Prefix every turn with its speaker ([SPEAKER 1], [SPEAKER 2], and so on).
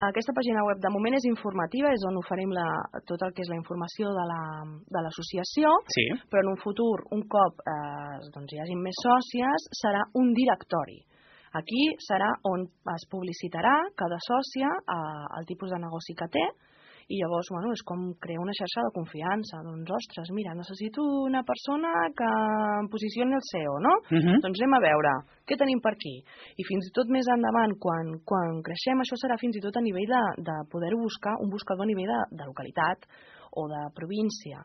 [SPEAKER 1] Aquesta pàgina web de moment és informativa, és on oferim tot el que és la informació de l'associació,
[SPEAKER 2] sí.
[SPEAKER 1] Però en un futur, un cop hi hagin més sòcies, serà un directori. Aquí serà on es publicitarà cada sòcia el tipus de negoci que té, i llavors, és com crear una xarxa de confiança. Doncs, ostres, mira, necessito una persona que em posicioni el SEO, no? Doncs anem a veure, què tenim per aquí? I fins i tot més endavant, quan creixem, això serà fins i tot a nivell de poder buscar un buscador a nivell de localitat o de província.